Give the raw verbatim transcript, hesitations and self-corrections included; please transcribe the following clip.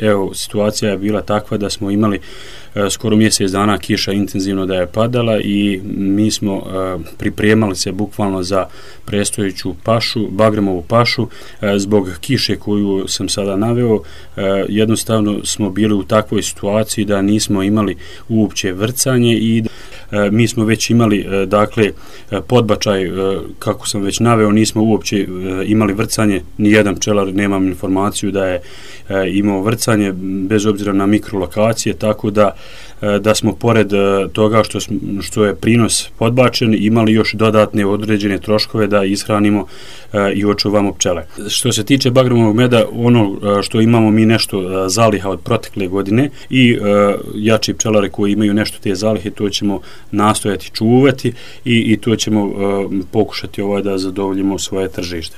evo, situacija je bila takva da smo imali skoro mjesec dana kiša intenzivno da je padala i mi smo pripremali se bukvalno za predstojeću pašu, bagremovu pašu. Zbog kiše koju sam sada naveo, jednostavno smo bili u takvoj situaciji da nismo imali uopće vrcanje i mi smo već imali, dakle, podbačaj, kako sam već naveo, nismo uopće imali vrcanje, ni jedan pčelar, nemam informaciju da je imao vrcanje, bez obzira na mikrolokacije, tako da da smo pored toga što, što je prinos podbačen, imali još dodatne određene troškove da ishranimo i očuvamo pčele. Što se tiče bagremovog meda, ono što imamo mi nešto zaliha od protekle godine i jači pčelari koji imaju nešto te zalihe, to ćemo nastojati čuvati i, i to ćemo pokušati ovaj da zadovoljimo svoje tržište.